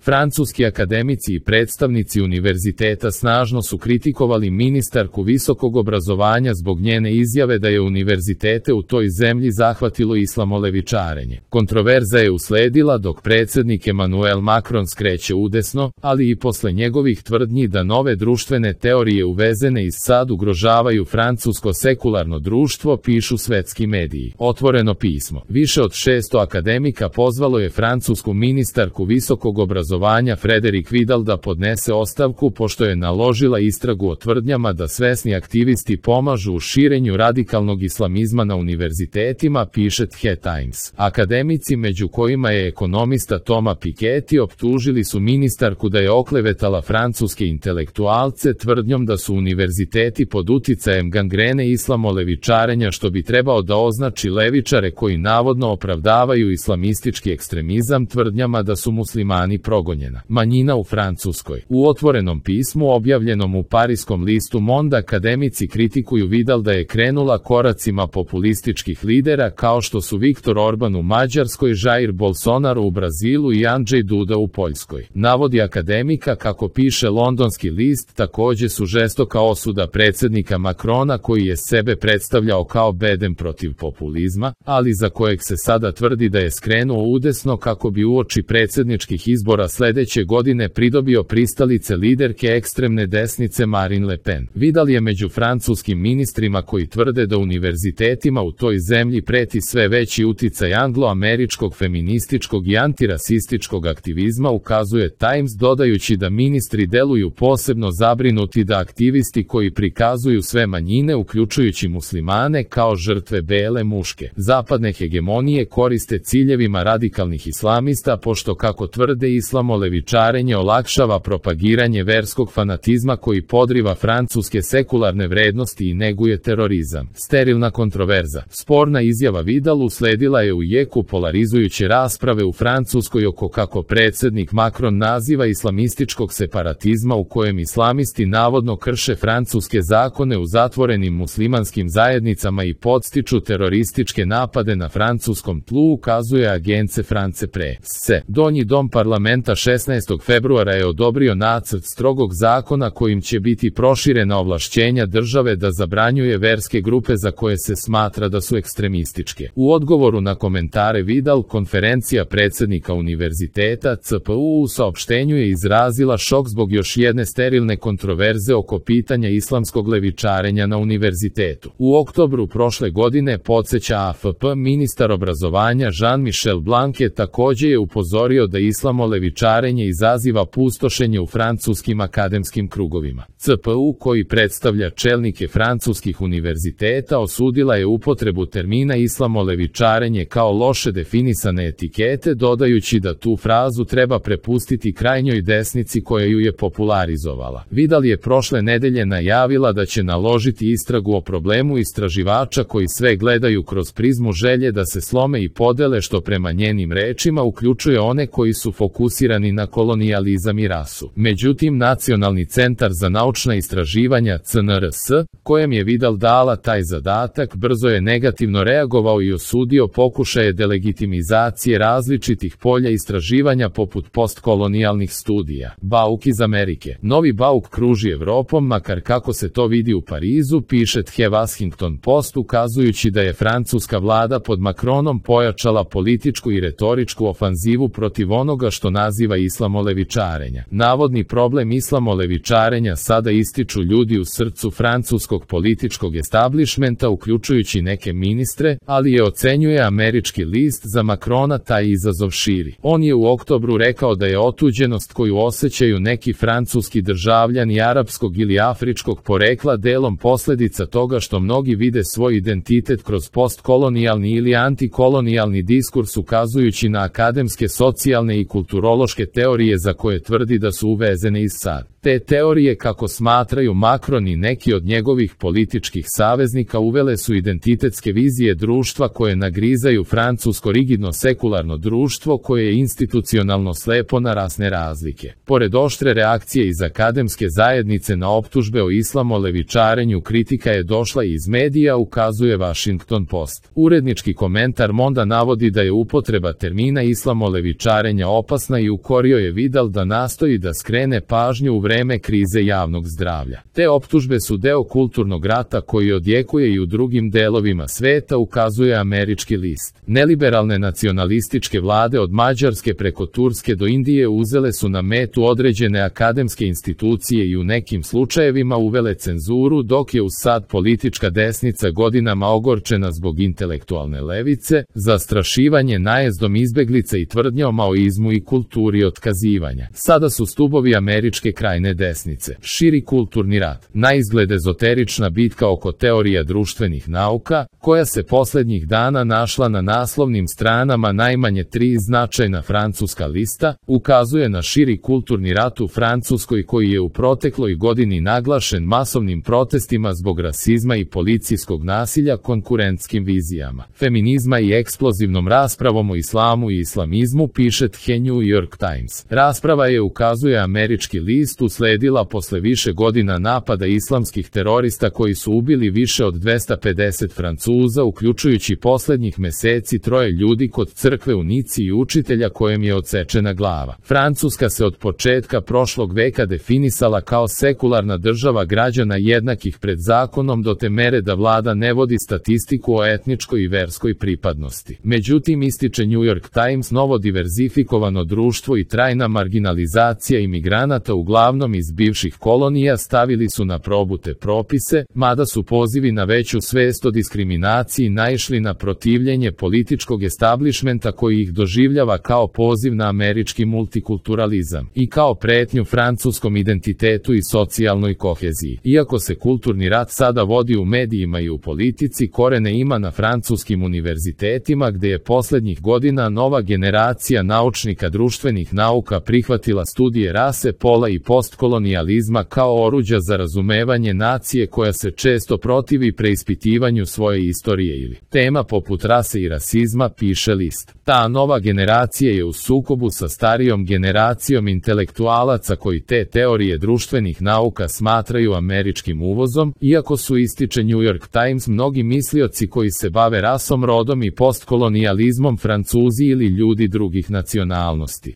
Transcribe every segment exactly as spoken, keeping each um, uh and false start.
Francuski akademici i predstavnici univerziteta snažno su kritikovali ministarku visokog obrazovanja zbog njene izjave da je univerzitete u toj zemlji zahvatilo islamolevičarenje. Kontroverza je usledila dok predsjednik Emmanuel Macron skreće udesno, ali i posle njegovih tvrdnji da nove društvene teorije uvezene iz sad ugrožavaju francusko sekularno društvo, pišu svetski mediji. Otvoreno pismo. Više od šesto akademika pozvalo je francusku ministarku visokog obrazovanja Frédérique Vidal da podnese ostavku pošto je naložila istragu o tvrdnjama da svesni aktivisti pomažu u širenju radikalnog islamizma na univerzitetima, piše The Times. Akademici, među kojima je ekonomista Thomas Piketty, optužili su ministarku da je oklevetala francuske intelektualce tvrdnjom da su univerziteti pod uticajem gangrene islamolevičarenja, što bi trebao da označi levičare koji navodno opravdavaju islamistički ekstremizam tvrdnjama da su muslimani progonjena manjina u Francuskoj. U otvorenom pismu objavljenom u pariskom listu Monde akademici kritikuju Vidal da je krenula koracima populističkih lidera kao što su Viktor Orban u Mađarskoj, Jair Bolsonaro u Brazilu i Andrzej Duda u Poljskoj. Navodi akademika, kako piše londonski list, takođe su žestoka osuda predsjednika Macrona koji je sebe predstavljao kao bedem protiv populizma, ali za kojeg se sada tvrdi da je skrenuo udesno kako bi uoči predsjedničkih izbora sledeće godine pridobio pristalice liderke ekstremne desnice Marine Le Pen. Vidal je među francuskim ministrima koji tvrde da univerzitetima u toj zemlji preti sve veći uticaj anglo-američkog feminističkog i antirasističkog aktivizma, ukazuje Times, dodajući da ministri deluju posebno zabrinuti da aktivisti koji prikazuju sve manjine, uključujući muslimane, kao žrtve bele muške zapadne hegemonije koriste ciljevima radikalnih islamista, pošto, kako tvrde, islamolevičarenje olakšava propagiranje verskog fanatizma koji podriva francuske sekularne vrednosti i neguje terorizam. Sterilna kontroverza. Sporna izjava Vidal usledila je u jeku polarizujuće rasprave u Francuskoj oko kako predsjednik Macron naziva islamističkog separatizma u kojem islamisti navodno krše francuske zakone u zatvorenim muslimanskim zajednicama i podstiču terorističke napade na francuskom tlu, ukazuje Agence France Presse. Donji dom parlamenta šesnaestog februara je odobrio nacrt strogog zakona kojim će biti proširena ovlašćenja države da zabranjuje verske grupe za koje se smatra da su ekstremističke. U odgovoru na komentare Vidal, konferencija predsjednika univerziteta C P U u saopštenju je izrazila šok zbog još jedne sterilne kontroverze oko pitanja islamskog levičarenja na univerzitetu. U oktobru prošle godine, podsjeća A F P, ministar obrazovanja Jean-Michel Blanquet također je upozorio da islamolevičarenje izaziva pustošenje u francuskim akademskim krugovima. C P U, koji predstavlja čelnike francuskih univerziteta, osudila je upotrebu termina islamolevičarenje kao loše definisane etikete, dodajući da tu frazu treba prepustiti krajnjoj desnici koja ju je popularizovala. Vidal je prošle nedelje najavila da će naložiti istragu o problemu istraživača koji sve gledaju kroz prizmu želje da se slome i podele, što prema njenim rečima uključuje one koji su fokusirani na kolonijalizam i rasu. Međutim, Nacionalni centar za naučna istraživanja C N R S, kojem je Vidal dala taj zadatak, brzo je negativno reagovao i osudio pokušaje delegitimizacije različitih polja istraživanja poput postkolonijalnih studija. Bauk iz Amerike. Novi bauk kruži Evropom, makar kako se to vidi u Parizu, piše The Washington Post, ukazujući da je francuska vlada pod Macronom pojačala političku i retoričku ofanzivu protiv onoga što naziva islamolevičarenja. Navodni problem islamolevičarenja sada ističu ljudi u srcu francuskog političkog establishmenta, uključujući neke ministre, ali je, ocenjuje američki list, za Macrona taj izazov širi. On je u oktobru rekao da je otuđenost koju osjećaju neki francuski državljani arapskog ili afričkog porekla delom posljedica toga što mnogi vide svoj identitet kroz postkolonijalni ili antikolonijalni diskurs, ukazujući na akademske, socijalne i kulturološke teorije za koje tvrdi da su uvezene iz sad. Te teorije, kako smatraju Macron i neki od njegovih političkih saveznika, uvele su identitetske vizije društva koje nagrizaju francusko rigidno sekularno društvo koje je institucionalno slepo na rasne razlike. Pored oštre reakcije iz akademske zajednice na optužbe o islamolevičarenju, kritika je došla i iz medija, ukazuje Washington Post. Urednički komentar Monda navodi da je upotreba termina islamolevičarenja opasna i ukorio je Vidal da nastoji da skrene pažnju u vreme krize javnog zdravlja. Te optužbe su deo kulturnog rata koji odjekuje i u drugim delovima sveta, ukazuje američki list. Neliberalne nacionalističke vlade od Mađarske preko Turske do Indije uzele su na metu određene akademske institucije i u nekim slučajevima uvele cenzuru, dok je uz sad politička desnica godinama ogorčena zbog intelektualne levice, zastrašivanje najezdom izbeglica i tvrdnja o maoizmu i kulturi otkazivanja. Sada su stubovi američke krajne desnice. Širi kulturni rat. Naizgled ezoterična bitka oko teorija društvenih nauka, koja se poslednjih dana našla na naslovnim stranama najmanje tri značajna francuska lista, ukazuje na širi kulturni rat u Francuskoj koji je u protekloj godini naglašen masovnim protestima zbog rasizma i policijskog nasilja, konkurentskim vizijama feminizma i eksplozivnom raspravom o islamu i islamizmu, piše The New York Times. Rasprava je, ukazuje američki list, usledila posle više godina napada islamskih terorista koji su ubili više od dvesta pedeset Francuza, uključujući poslednjih meseci troje ljudi kod crkve u Nici i učitelja kojem je odsečena glava. Francuska se od početka prošlog veka definisala kao sekularna država građana jednakih pred zakonom do te mere da vlada ne vodi statistiku o etničkoj i verskoj pripadnosti. Međutim, ističe New York Times, novo diverzifikovano društvo i trajna marginalizacija imigranata uglavnom iz bivših kolonija stavili su na probu te propise, mada su pozivi na veću svest o diskriminaciji naišli na protivljenje političkog establišmenta koji ih doživljava kao poziv na američki multikulturalizam i kao pretnju francuskom identitetu i socijalnoj koheziji. Iako se kulturni rat sada vodi u medijima i u politici, korene ima na francuskim univerzitetima gde je poslednjih godina nova generacija naučnika društvenih nauka prihvatila studije rase, pola i postkolonijalizma kao oruđa za razumevanje nacije koja se često protivi preispitivanju svoje istorije ili tema poput rase i rasizma, piše list. Ta nova generacija je u sukobu sa starijom generacijom intelektualaca koji te teorije društvenih nauka smatraju američkim uvozom, iako su, ističe New York Times, mnogi mislioci koji se bave rasom, rodom i postkolonijalizmom Francuzi ili ljudi drugih nacionalnosti.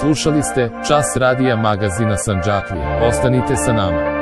Slušali ste Čas radija magazina Sandžaklije. Ostanite sa nama.